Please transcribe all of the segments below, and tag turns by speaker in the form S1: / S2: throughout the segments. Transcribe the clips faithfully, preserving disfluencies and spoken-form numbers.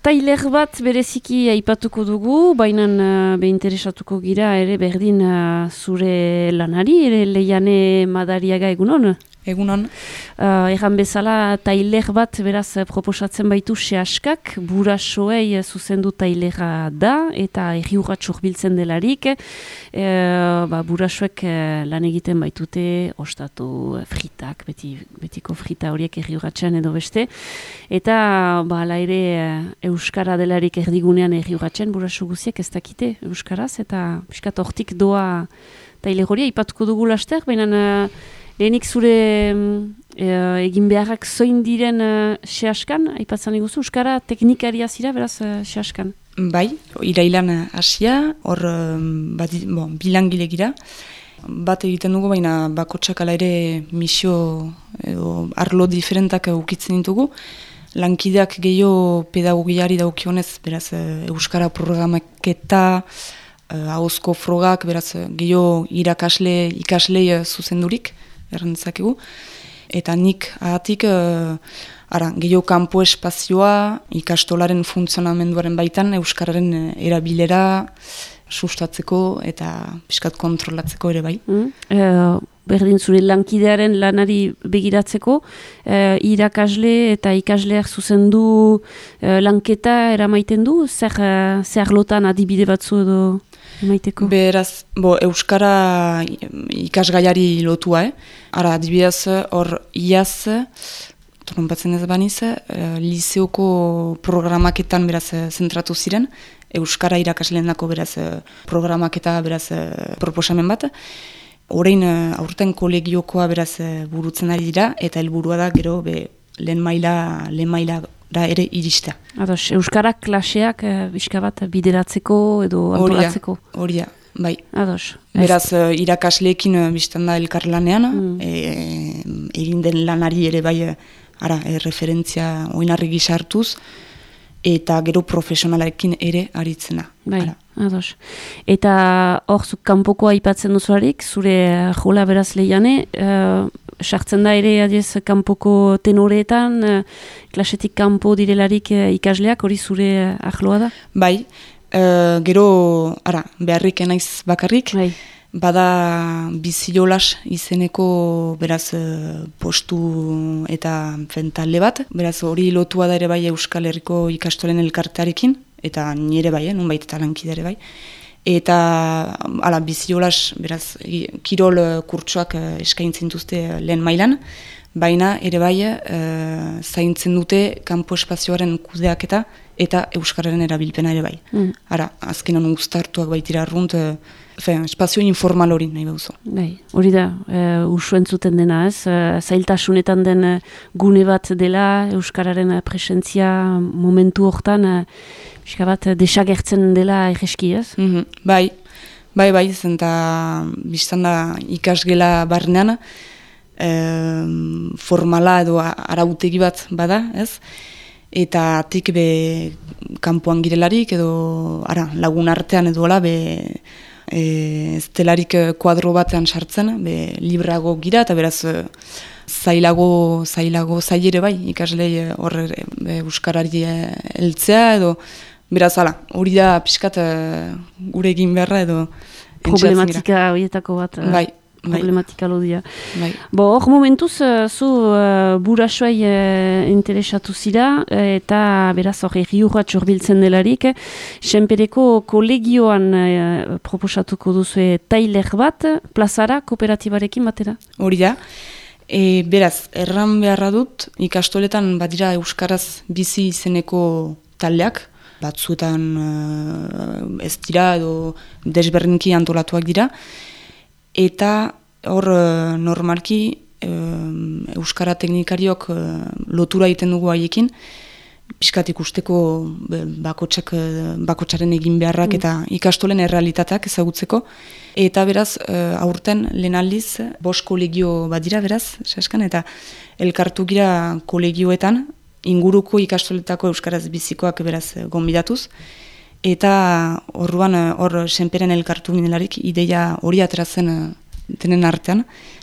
S1: Tailer bat bereziki aipatuko dugu, baina uh, be interesatuko gira ere berdin uh, zure lanari, ere Leiane Madariaga egunon?
S2: Egunon.
S1: Uh, Egan bezala tailer bat beraz proposatzen baitu sehaskak, burasoei zuzendu tailera da, eta erriugat urbiltzen delarik. E, ba, burasoek lan egiten baitute, ostatu fritak, beti, betiko frita horiek erriugatzean edo beste. Eta ba, ala ere euskara delarik erdigunean erriugatzen, buraso guziek ez dakite euskaraz, eta piskat hortik doa tailer horia, ipatuko dugu laster, baina lehenik zure e, egin beharrak zoin diren uh, sehaskan, aipatzen iguzu, euskara teknikaria zira, beraz, uh, sehaskan?
S2: Bai, irailan hasia, hor um, bat, bon, bilangile gira. Bat egiten dugu, baina bakotsak ala ere misio edo arlo diferentak ukitzen ditugu. Lankideak gehiago pedagogiari daukionez, beraz, euskara programaketa, uh, ahozko frogak, beraz, gehiago irakasle, ikaslei zuzendurik, errantzakegu. Eta nik ahatik, uh, ara, gehiago kanpo espazioa, ikastolaren funtzionamenduaren baitan, euskararen erabilera sustatzeko eta pixkat kontrolatzeko ere bai.
S1: Mm. Uh, berdin zure lankidearen lanari begiratzeko, uh, irakasle eta ikasleak zuzendu uh, lanketa eramaiten du, zer, uh, zer lotan adibide batzu edo emaiteko?
S2: Beraz, bo, euskara ikasgaiari lotua, eh? Ara, adibidez, hor iaz, tronpatzen ez baniz, uh, liseoko programaketan beraz zentratu ziren, euskara irakasleen dako beraz programaketa beraz proposamen bat. Orain aurten kolegiokoa beraz burutzen ari dira, eta helburua da gero be, lehen maila, lehen maila da ere irista.
S1: Ados, euskara klaseak bizka bat bideratzeko edo antolatzeko?
S2: Horia, bai.
S1: Ados.
S2: Beraz, uh, irakasleekin uh, biztan da elkarlanean, mm. e, egin den lanari ere bai, ara, e, referentzia oinarri gisa hartuz, eta gero profesionalekin ere aritzena.
S1: Bai, ados. Eta hor, zuk kanpokoa aipatzen duzuarik, zure jola beraz Leiane, uh, sartzen da ere adiez kanpoko tenoreetan, uh, klasetik kanpo direlarik uh, ikasleak, hori zure ahloa da?
S2: Bai, uh, gero, ara, beharrik naiz bakarrik, bai. Bada biziolas izeneko beraz postu eta talde bat, beraz hori lotua da ere bai Euskal Herriko ikastolen elkartearekin, eta nire bai, eh, nunbait eta lankide ere bai. Eta ala, biziolas, beraz, kirol kurtsoak eskaintzen duzte lehen mailan, baina ere bai e, zaintzen dute kanpo espazioaren kudeaketa eta euskararen erabilpena ere bai. Mm. Ara, azkenan uztartuak baitira arrunt, Fe, espazio informal hori nahi behuzo.
S1: Bai, hori da, e, usu entzuten dena ez, e, zailtasunetan den gune bat dela, euskararen presentzia momentu hortan, e, bat desagertzen dela egeski ez?
S2: Mm-hmm. Bai, bai, bai, zenta biztan da ikasgela barnean, e, formala edo arautegi bat bada, ez? Eta atik be kanpoan girelarik edo ara, lagun artean edo ala be E, ez delarik kuadro batean sartzen, be, librago gira, eta beraz zailago, zailago zailere bai, ikaslei horre euskarari heltzea, edo beraz ala, hori da pixkat gure egin beharra edo
S1: problematika horietako bat.
S2: Bai.
S1: Problematika lodia.
S2: Bai.
S1: Bo, hor momentuz, zu uh, burasoai uh, interesatu zira, eta beraz hor erriurrat urbiltzen delarik, Senpereko kolegioan uh, proposatuko duzu tailer bat, plazara, kooperatibarekin batera?
S2: Hori da. E, beraz, erran beharra dut, ikastoletan badira euskaraz bizi izeneko taldeak, batzuetan uh, ez dira edo desberdinki antolatuak dira, eta hor normalki um, euskara teknikariok uh, lotura egiten dugu haiekin, pixkat ikusteko bakotsak, bakotsaren egin beharrak mm. eta ikastolen errealitateak ezagutzeko. Eta beraz, uh, aurten lehen aldiz, bost kolegio badira beraz, saskan, eta elkartu gira kolegioetan, inguruko ikastoletako euskaraz bizikoak beraz gonbidatuz, eta orduan hor Senperen elkartu ginelarik ideia hori ateratzen denen artean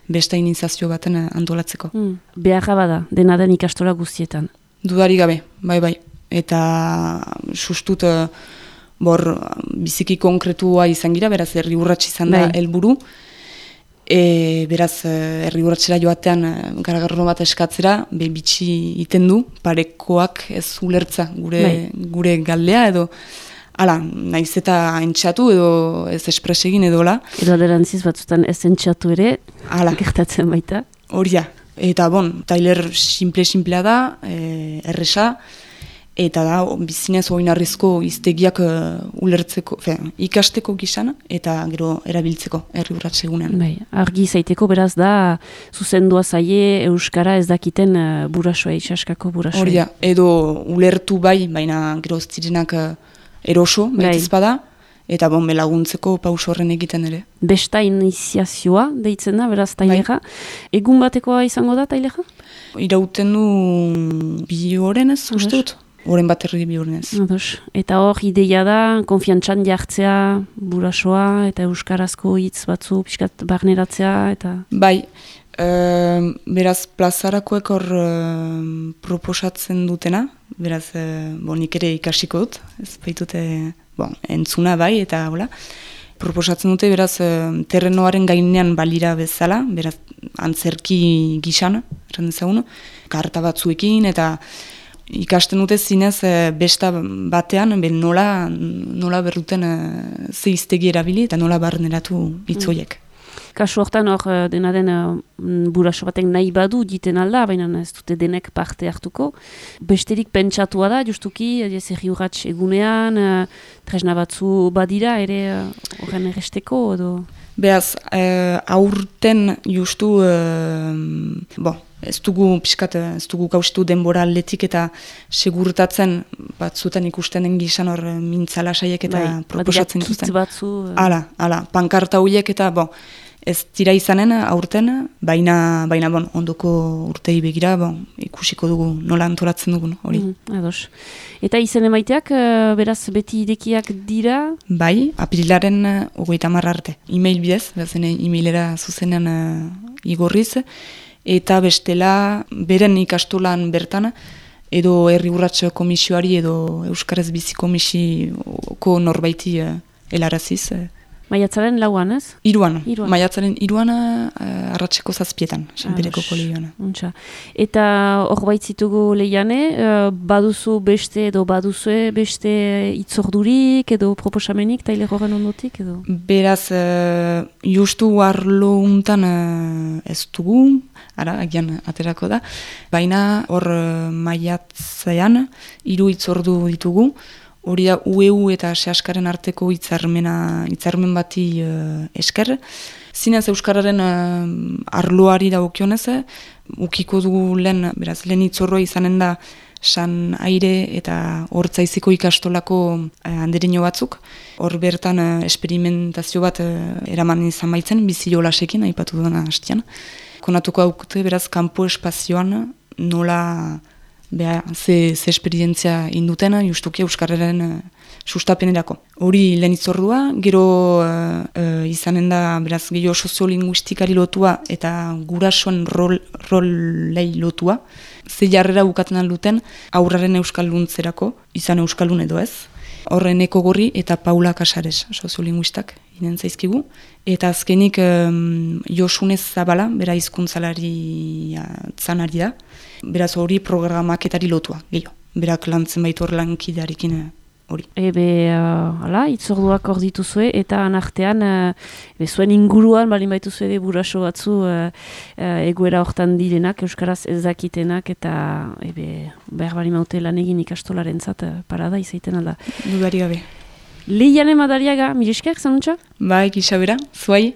S2: beste iniziazio baten antolatzeko.
S1: Mm. Beharra bada, dena den ikastola guztietan.
S2: Dudari gabe, bai bai. eta sustut bor biziki konkretua izan gira, beraz herri urrats izan da helburu. E, beraz, herri urratsera joatean garagarro bat eskatzera, be bitxi iten du, parekoak ez ulertza gure, gure galdea, edo hala, naiz eta entxatu edo ez espresegin edo la.
S1: Edo aderantziz batzutan ez entxatu ere,
S2: hala,
S1: gertatzen baita.
S2: Hori da, eta bon, tailer simple-simplea da, e, erresa, eta da, bizinez oinarrizko iztegiak uh, ulertzeko, fe, ikasteko gizan, eta gero erabiltzeko herri urrats egunean.
S1: Bai, argi zaiteko beraz da, zuzendua zaie Euskara ez dakiten uh, burasoa, itxaskako burasoa.
S2: Hori da, edo ulertu bai, baina gero zirenak uh, eroso, baitiz bada, eta bon, belaguntzeko pauso horren egiten ere.
S1: Besta iniziazioa deitzen da, beraz tailera. Bai. Egun batekoa izango da tailera?
S2: Irauten du bi horren ez, uste dut. Horren bat erri bi horren ez.
S1: Eta hor, ideia da, konfiantzan jartzea burasoa, eta euskarazko hitz batzu, pixkat barneratzea, eta...
S2: Bai, e, beraz, plazarakoek hor e, proposatzen dutena, beraz, e, bon, nik ere ikasiko dut, ez baitute, bon, entzuna bai, eta hola. Proposatzen dute, beraz, e, terrenoaren gainean balira bezala, beraz, antzerki gisan, errandezagun, karta batzuekin, eta... Ikasten dute zinez besta batean ben nola, nola berruten ze hiztegi erabili eta nola barneratu hitzoiek.
S1: Kasu hortan hor dena den buraso batek nahi badu diten alda, baina ez dute denek parte hartuko. Besterik pentsatua da, justuki, herri urrats egunean, tresna batzu badira ere horren erresteko edo...
S2: Beaz, eh, aurten justu, eh, bo, ez dugu pixkat, ez dugu kausitu denbora aldetik eta segurtatzen batzutan ikusten den gizan hor mintzala saiek eta bai, proposatzen dituzten.
S1: Batzu...
S2: Hala, hala, pankarta horiek eta, bo, ez dira izanen aurten, baina, baina bon, ondoko urtei begira, bon, ikusiko dugu nola antolatzen dugun hori.
S1: Mm, ados. Eta izen emaiteak, beraz, beti irekiak dira?
S2: Bai, apirilaren hogeita hamar arte. E-mail bidez, bezen e-mailera zuzenean uh, igorriz, eta bestela, beren ikastolan bertan, edo herri urrats komisioari edo Euskaraz bizi komisioko norbaiti uh, helaraziz, uh,
S1: Maiatzaren lauan, ez?
S2: Iruan. Iruan. Maiatzaren iruan uh, arratseko zazpietan, Sanpereko kolegioan.
S1: Eta hor baitzitugu lehiane, uh, baduzu beste edo baduzue beste itzordurik edo proposamenik, taile horren ondotik edo?
S2: Beraz, uh, justu arlo untan uh, ez dugu, ara, agian aterako da, baina hor uh, maiatzean hiru itzordu ditugu, hori da U E U eta Seaskaren arteko hitzarmena hitzarmen bati uh, esker. Zinez Euskararen uh, arloari dagokionez, ukiko dugu lehen, beraz, lehen hitzorroa izanen da San Aire eta Hortzaiziko ikastolako uh, andereño batzuk. Hor bertan uh, esperimentazio bat uh, eraman izan baitzen, bizi jolasekin, aipatu dena hastian. Konatuko haukute, beraz, kanpo espazioan nola... Beha, ze, ze esperientzia indutena, justuki Euskararen uh, sustapenerako. Hori lehen itzordua, gero uh, uh, izanen da, beraz, gehiago soziolinguistikari lotua eta gurasoen rol, rollei lotua. Ze jarrera bukatzen alduten, aurraren euskalduntzerako, izan euskaldun edo ez. Horren Eko Gorri eta Paula Casares, soziolinguistak, inen zaizkigu. Eta azkenik um, Josunez Zabala, bera hizkuntzalari zanari da. Beraz hori programaketari lotua, gehiago. Berak lantzen baitu hor lankidearekin hori.
S1: Ebe, uh, ala, itzorduak hor dituzue, eta anartean, uh, zuen inguruan, balin baituzue ere buraso batzu, uh, uh, egoera hortan direnak, euskaraz ez dakitenak, eta ebe, behar bali maute lan egin ikastolaren zat, uh, parada izaiten alda.
S2: Dudari gabe.
S1: Lehiane Madariaga, miresker, zanuntza?
S2: Bai, Isabera, zuai.